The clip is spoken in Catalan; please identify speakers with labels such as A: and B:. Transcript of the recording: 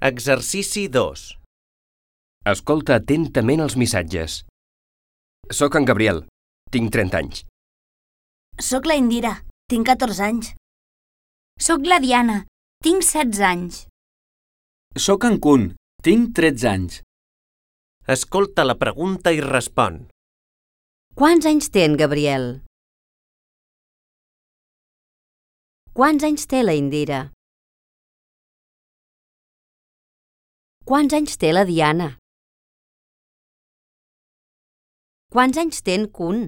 A: Exercici 2.
B: Escolta atentament els missatges. Soc en Gabriel. Tinc 30 anys.
C: Soc la Indira. Tinc 14 anys.
D: Soc la Diana. Tinc 16 anys.
E: Soc en Kun. Tinc 13 anys.
A: Escolta la pregunta i respon.
F: Quants anys té en Gabriel? Quants anys té la Indira? Quants anys té la Diana? Quants anys té en Kun?